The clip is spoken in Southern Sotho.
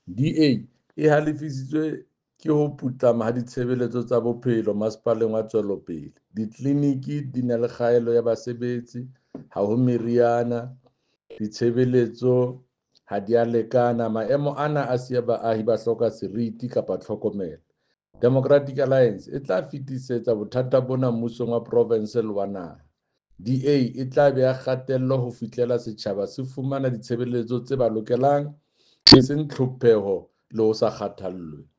DA e halefisitswe ke ho putlama ha ditshebeletso tsa bophelo masepaleng wa Tswelopele. Ditleliniki di na le kgaello ya basebetsi, ha ho meriana, ditshebeletso ha di a lekana. Maemo ana a siya baahi ba hloka seriti kapa tlhokomelo. Democratic Alliance e tla fetisetsa bothata bona mmusong wa provense le wa naha. DA e tla beha kgatello ho fihlela setjhaba se fumana ditshebeletso tse ba lokelang, e seng tlhopheho le ho sa kgathallwe.